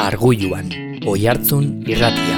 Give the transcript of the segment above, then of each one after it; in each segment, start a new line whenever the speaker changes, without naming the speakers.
Argulluan, Oihartzun irratia.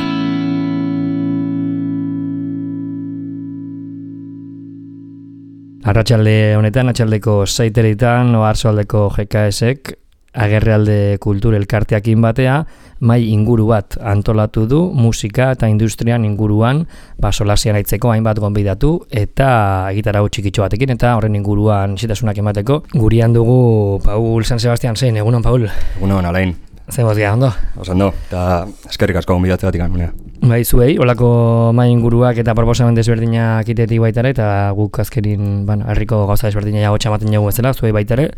Arratsalde honetan, atxaldeko 6:00 Oarsoaldeko GKS-ek Agerrealde Kultur Elkarteakin batea mai inguru bat antolatu du musika eta industrian inguruan solasian aitzeko hainbat gonbidatu eta gitarau txikitxo batekin eta horren inguruan xitasunak emateko. Gurian dugu Paul San Sebastian zein, egunon Paul?
Egunon, Alain.
Zer mozgia, ondo?
Ondo, eta eskerrik asko gonbidatzegatik anunea.
Bai, zuei, olako mai inguruak eta proposamen desberdinak itetik baitare, eta guk azkerin, herriko gauza desberdina jago txamaten jago bezala, zuei baitare.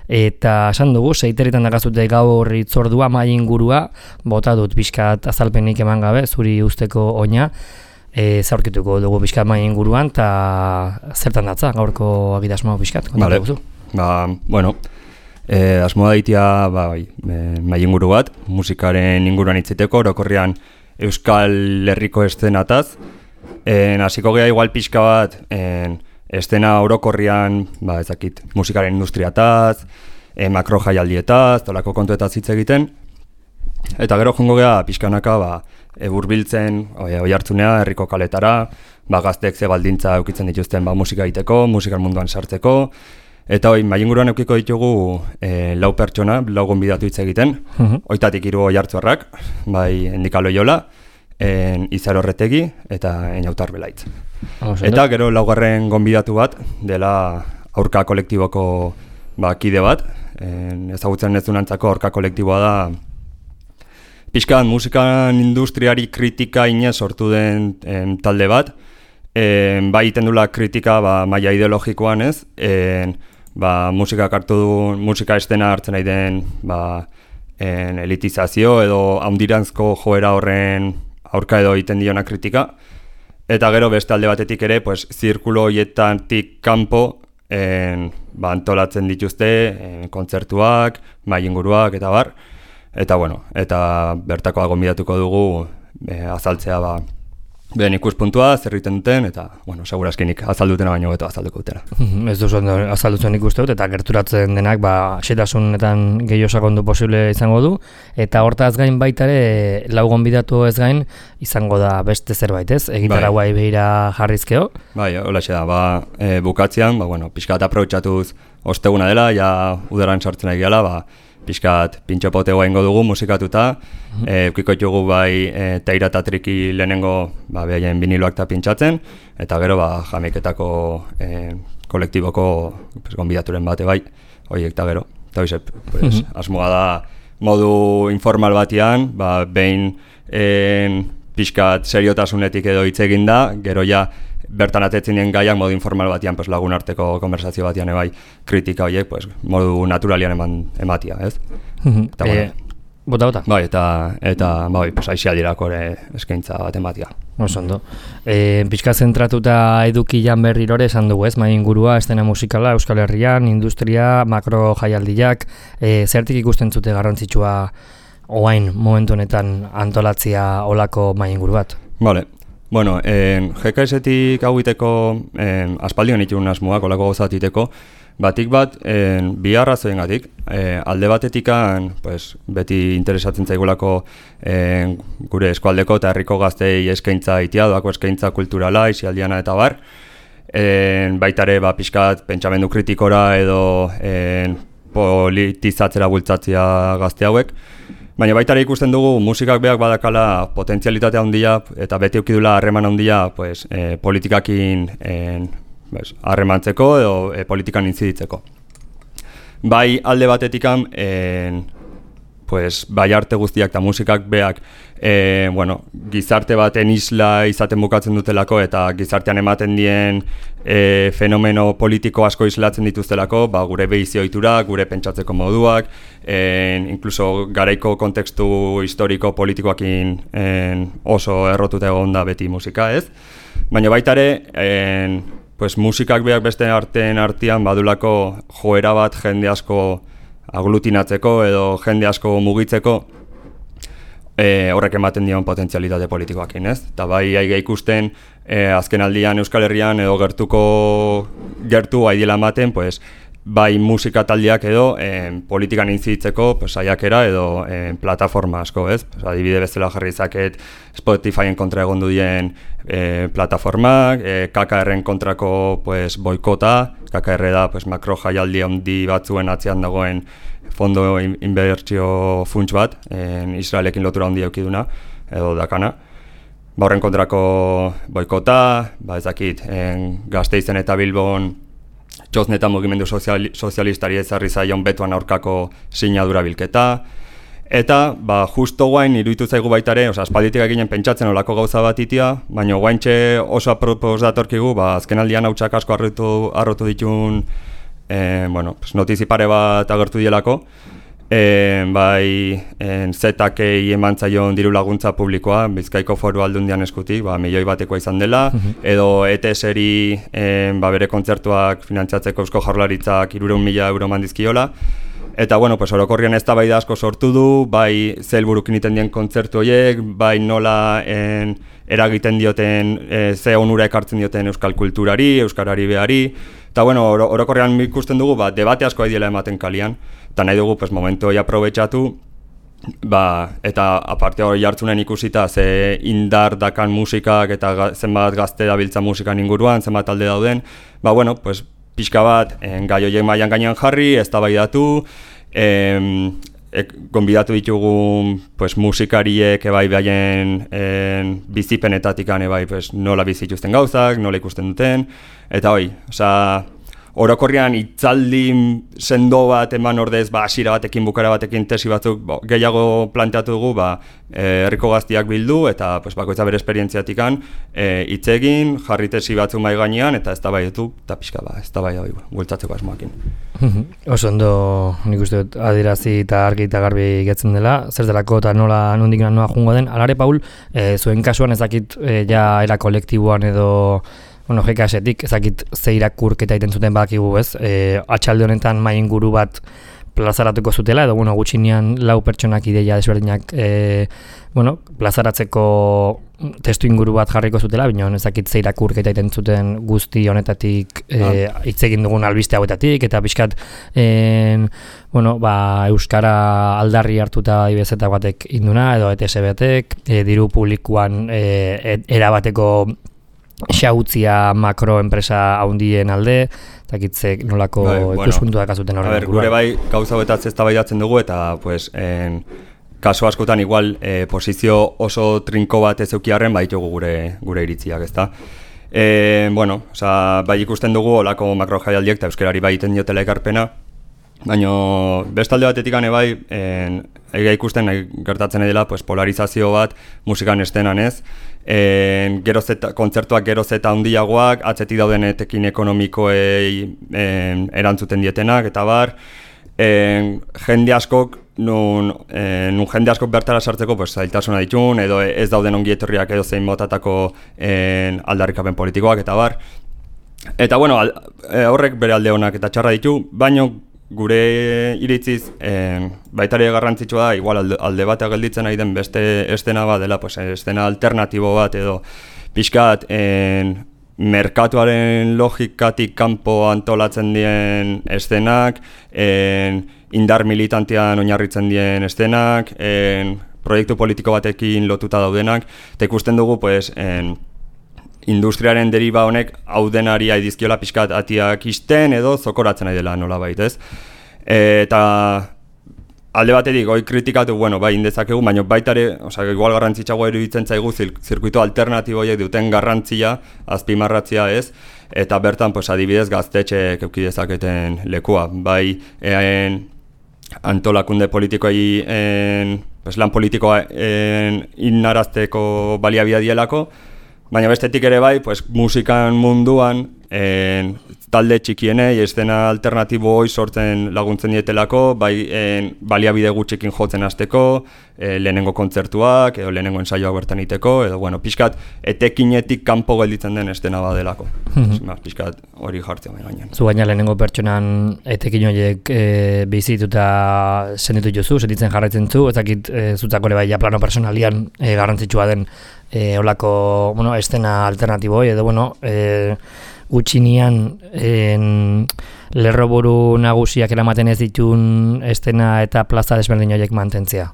Eta esan dugu, 6:00 dakazute gaur hitzordua mai ingurua, bota dut pixkat azalpenik eman gabe, zuri usteko oina, zaurkituko dugu pixkat mai inguruan, eta zertan datza gaurko agitasmo pixkat, kontatu guzu?
Bueno, asmoa daitea mai inguru bat, musikaren inguruan itziteko, orokorrean Euskal Herriko eszenataz. Hasiko gea igual pixka bat, estena orokorrian, ezakit, musikaren industriataz, makro jaialdietaz, tolako kontuetaz hitz egiten. Eta gero jongo gea pixkanaka hurbiltzen Oihartzunea, herriko kaletara, gazteek ze baldintza eukitzen dituzten musika egiteko, musikal munduan sartzeko. Eta mai inguruan eukiko ditugu 4 pertsona, 4 gonbidatu hitz egiten. Oitatik 3 oihartzarrak, Endika Loiola, Izar Horretegi eta Eñautar Belaitz. Eta gero 4. gonbidatu bat dela Aurka kolektiboko kide bat. Ezagutzen ez dunantzako Aurka kolektiboa da pixkan musikan industriari kritika inez sortu den talde bat. Iten dula kritika maila ideologikoan ez, musikak hartu du, musika estena hartzen nahi den elitizazio edo haundirantzko joera horren aurka edo egiten diona kritika. Eta gero beste alde batetik ere, zirkulo horietatik kanpo antolatzen dituzte kontzertuak, mai inguruak eta bar. Eta eta bertakoa gonbidatuko dugu azaltzea beren ikuspuntua, zer egiten duten, eta, segurazkinik azaldutena baino beto azalduko dutela.
Ez duzu azaldutzen ikuste dut, eta gerturatzen denak, xetasunetan gehiago sakondu posible izango du, eta hortaz gain baitare, 4 gonbidatu ez gain, izango da beste zerbait, ez? Egitarauai behira jarrizkeo?
Holaxe da, bukatzean, pixkat aprobetxatuz osteguna dela, ja udaran sartzen ari gala, pixkat pintxopotegoa ingo dugu musikatuta, eukiko ditugu Teira eta Triki lehenengo behaien biniloak eta pintxatzen, eta gero jameketako kolektiboko gonbidaturen bate horiek eta gero. Eta asmoa da modu informal batean, behin pixkat seriotasunetik edo hitz egin da, gero ja bertan atetzen dien gaiak modu informal batean, lagun arteko konversazio batean kritika horiek, modu naturalian ematia, ez?
Bota?
Eta aixialdirako ere eskaintza bat ematia.
Osondo. Pixka zentratuta eduki jan berrirore esan dugu, ez? Mai ingurua, estena musikala, Euskal Herrian, industria, makro jaialdiak, zertik ikusten zute garrantzitsua oain momentu honetan antolatzia olako mai inguru bat?
GKS-etik hau iteko aspaldion itun asmoak olako gauzat iteko, batik bat bi arrazoengatik. Alde batetikan beti interesatzen zaigulako gure eskualdeko eta herriko gaztei eskaintza itia, doako eskaintza kulturala, isialdiana eta bar. Baitare pixkat pentsamendu kritikora edo politizatzera bultzatzea gazte hauek. Baina baitare ikusten dugu musikak beak badakala potentzialitate handia eta beti eukidula harreman handia politikakin harremantzeko edo politikan intziditzeko. Alde batetikan arte guztiak eta musikak beak gizarte baten isla izaten bukatzen dutelako eta gizartean ematen dien fenomeno politiko asko islatzen dituztelako, gure behizio ohitura, gure pentsatzeko moduak, inkluso garaiko kontekstu historiko politikoakin oso errotuta egon da beti musika, ez? Baina baitare, musikak beak beste artean badulako joera bat jende asko aglutinatzeko edo jende asko mugitzeko horrek ematen dion potentzialitate politikoakin, ez? Eta aiga ikusten azken aldian Euskal Herrian edo gertu aidiela ematen bai musika taldeak edo politikan intzitzeko pues, saiakera edo plataforma asko, ez? Pues, adibide bezala jarri zaket Spotifyen kontra egondu dien plataformak, KKR-en kontrako pues, boikota, KKR da pues, makro jaialdi handi batzuen atzean dagoen fondo inbertsio funts bat, Israelekin lotura handi eukiduna, edo dakana. Horren kontrako boikota, ez dakit, Gasteizen eta Bilbon Txosne eta mugimendu sozialistari ezarri zaion betoan aurkako sinadura bilketa. Eta, justo guain, iruditu zaigu baitare, aspalditik eginen pentsatzen olako gauza bat itia, baina guaintxe oso apropos datorkigu, azkenaldian hautsak asko arrotu ditun notizi pare bat agertu dielako. Zetakei eman zaion diru laguntza publikoa, Bizkaiko Foru Aldundian eskutik, milioi batekoa izan dela, edo ETS-eri bere kontzertuak finantzatzeko Eusko Jaurlaritzak 300.000 euro mandizkiola. Eta, orokorrian eztabaida asko sortu du, bai ze helburukin egiten dien kontzertu horiek, bai nola eragiten dioten, ze onura ekartzen dioten euskal kulturari, euskarari behari. Eta, orokorrean ikusten dugu, debate asko diela ematen kalian, eta nahi dugu momentu hori aprobetxatu, eta aparte hori jartzunen ikusita ze indar dakan musikak eta zenbat gazte dabiltza musikan inguruan, zenbat talde dauden, pixka bat gai horiek mailan gainean jarri, eztabaidatu, gonbidatu ditugu musikariek behaien bizipenetatik nola bizituzten gauzak, nola ikusten duten, eta orokorrean hitzaldi sendo bat eman ordez, hasiera batekin, bukara batekin, tesi batzuk gehiago planteatu dugu, herriko gaztiak bildu eta bakoitza bere esperientziatikan hitz egin, jarri tesi batzuk mai gainean eta eztabaidatu eta pixka eztabaida bultzatzeko asmoakin.
Oso ondo nik uste dut adierazi eta argi eta garbi getzen dela, zer delako eta nondik noa jungo den. Alare, Paul, zuen kasuan ezakit ja era kolektiboan edo GKS-etik ezakit ze irakurketa egiten zuten badakigu, ez? Atxalde honetan mai inguru bat plazaratuko zutela, edo gutxinean 4 pertsonak ideia desberdinak plazaratzeko testu inguru bat jarriko zutela, baina ezakit ze irakurketa egiten zuten guzti honetatik hitz egin dugun albiste hauetatik, eta pixkat euskara aldarri hartuta ibezeta batek induna, edo ETS batek, diru publikoan erabateko xautzia makroenpresa haundien alde, ezakitzek nolako ikuspuntua dakazuten horren.
Gure gauza betaz eztabaidatzen dugu eta kaso askotan igual posizio oso trinko bat ez eukiarren ditugu gure iritziak, ezta? Ikusten dugu olako makro jaialdiek eta euskarari egiten diotela ekarpena, baina bestalde batetik egia ikusten gertatzen dela polarizazio bat musikan estenan, ez? Kontzertuak geroz eta handiagoak, atzetik dauden etekin ekonomikoei erantzuten dietenak, eta bar, jende askok bertara sartzeko zailtasuna ditun, edo ez dauden ongi etorriak edo zein motatako aldarrikapen politikoak, eta bar. Eta horrek bere alde honak eta txarra ditu, baino gure iritziz baitare garrantzitsua da, igual alde batea gelditzen nahi den beste estena bat dela, estena alternatibo bat edo pixkat merkatuaren logikatik kanpo antolatzen dien estenak, indar militantean oinarritzen dien estenak, proiektu politiko batekin lotuta daudenak, eta ikusten dugu industriaren deriba honek hau denari aidizkiola pixkat atiak isten edo zokoratzen nahi dela nolabait, ez? Eta alde batetik goi kritikatu, indezakegu, baina baitare, igual garrantzitsagoa iruditzen zaigu zirkuito alternatiboiek duten garrantzia, azpimarratzia, ez? Eta bertan, adibidez, gaztetxeek eduki dezaketen lekua, bai antolakunde politikoei lan politikoa innarazteko baliabidea dielako, baina bestetik ere bai, musikan munduan talde txikienei, estena alternatibo hoi sortzen laguntzen dietelako, bai baliabide gutxikin jotzen hasteko, lehenengo kontzertuak, edo lehenengo ensaioak bertan iteko, edo pixkat etekinetik kanpo gelditzen den estena badelako. Pixkat hori jartzea bai gainean.
Zu gaina lehenengo pertsonan etekin horiek bizituta senditu jozu, sentitzen jarraitzen zu, ezakit zutzako ere bai ja plano personalian garrantzitsua den olako estena alternatiboi, edo gutxinian lerroburu nagusiak eramaten ez ditun estena eta plaza desberdin horiek mantentzea?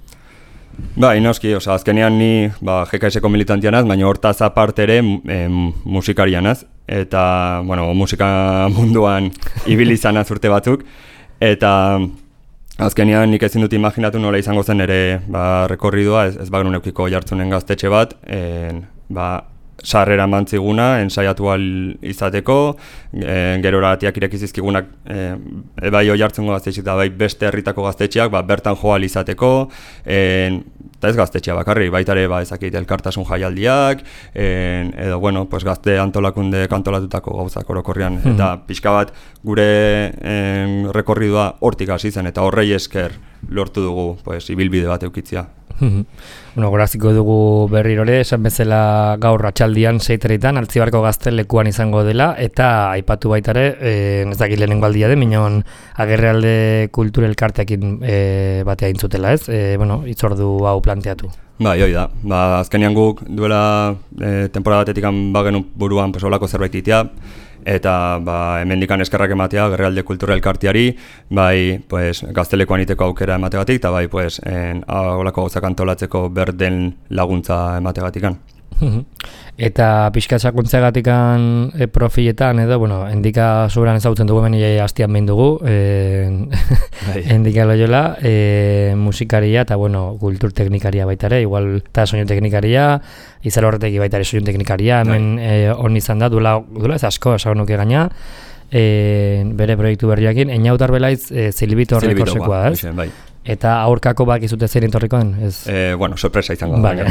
Bai, noski, azkenean ni GKS-ko militantianaz, baina hortaz aparte ere musikarianaz, eta, musika munduan ibili izanaz urte batzuk, eta azkenean nik ezin dut imaginatu nola izango zen ere rekorridua, ez bagenun eukiko jartzunen gaztetxe bat, sarrera mantziguna, ensaiatu izateko, gerora atiak irekizizkigunak bai oi hartzungo gaztetxik da bai beste herritako gaztetxeak bertan joal izateko, eta ez gaztetxea bakarri, baitare ezakit elkartasun jaialdiak, edo gazte antolakunde kantolatutako gauzak orokorrean, eta pixka bat gure rekorridua hortik hasi zen, eta horrei esker lortu dugu ibilbide bat eukitzia.
Goraziko dugu berrirore, esan bezala gaur atxaldian 6:00 Altzibarko gaztelekuan izango dela, eta aipatu baitare, ez dakit lehenengo aldia den, minon Agerrealde Kultura Elkarteekin batea intzutela, ez? Itzordu hau planteatu.
Bai, hoi da. Azkenean guk duela temporada batetik bagenu buruan olako zerbait itea, eta hemendikan eskerrak ematea Agerrealde Kultura Elkarteari, bai gaztelekuan iteko aukera emategatik, eta bai olako gauzak antolatzeko berden laguntza emategatikan.
Eta pixka sakuntzeagatikan profiletan edo, endika soberan ezagutzen dugu hemen hastian behin dugu, endika Loyola, musikaria eta kultur teknikaria baitare, igual eta soinu teknikaria, izan horreteki baitare soinu teknikaria, hemen hon izan da, duela ez asko, esagun nuke gaina, bere proiektu berriakin, Eñautar Belaiz Zilibito Rekorsekoa, ez?
Bai.
Eta aurkako bakizute zer entorriko den?
Sorpresa izango da.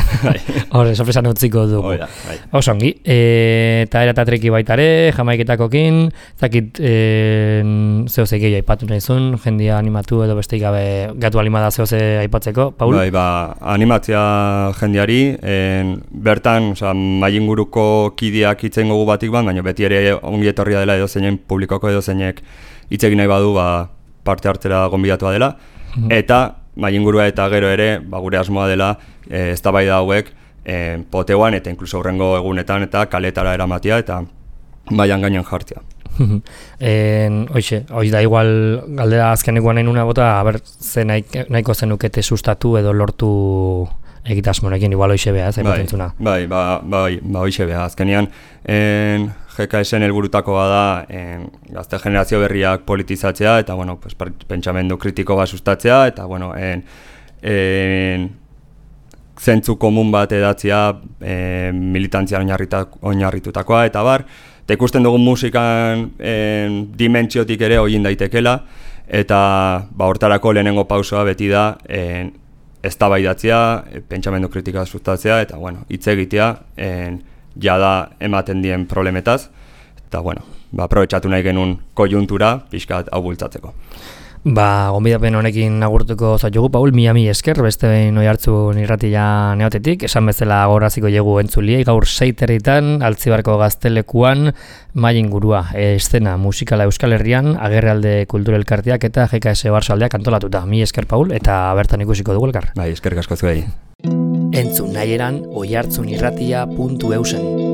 Horre, sorpresa utziko dugu. Oso ongi. Eta eratatreki baitare, jamaiketakokin, zakit zehose gehi aipatu nahizun, jendia animatu edo besteik gabe gatu alimada zehose aipatzeko, Paul?
Bai, animatzea jendiari, bertan, mainguruko kideak itzen gogu batik baina beti ere ongi etorria dela edo zeinen publikoko edo zeinek itzegin nahi badu parte hartzera gonbidatua dela. Eta maingurua eta gero ere, gure asmoa dela, eztabaida hauek poteuan eta inkluso hurrengo egunetan eta kaletara eramatia eta baian gainen jartzea.
Hoiz da igual galdera azkenekoan nahi nuna bota, ze nahiko zenukete sustatu edo lortu egitasmonekin, igual hoize beha, zaipatentzuna.
Bai, hoize beha, azkenean GKS-en helburutakoa da gazte generazio berriak politizatzea eta pentsamendu kritiko bat sustatzea eta zentzu komun bat edatzea militantzian oinarritutakoa eta eta ikusten dugun musikan dimentsiotik ere hogin daitekela eta hortarako lehenengo pausoa beti da eztabaidatzea, pentsamendu kritika sustatzea eta hitz egitea jada ematen dien problemetaz, eta aprobetxatu nahi genuen kojuntura pixkat hau bultzatzeko.
Gonbidapen honekin agurtuko zaitugu, Paul, mi esker, beste behin oi hartzun irratia neotetik, esan bezala goraziko jegu entzuliei, gaur 6:00 Altzibarko gaztelekuan maingurua, eszena musikala Euskal Herrian, Agerrealde Kultura Elkarteak eta GKS Barsaldeak antolatuta. Mi esker, Paul, eta bertan ikusiko dugu elkar.
Bai, eskerrik asko zuei.
Entzun nahieran oihartzunirratia.eusen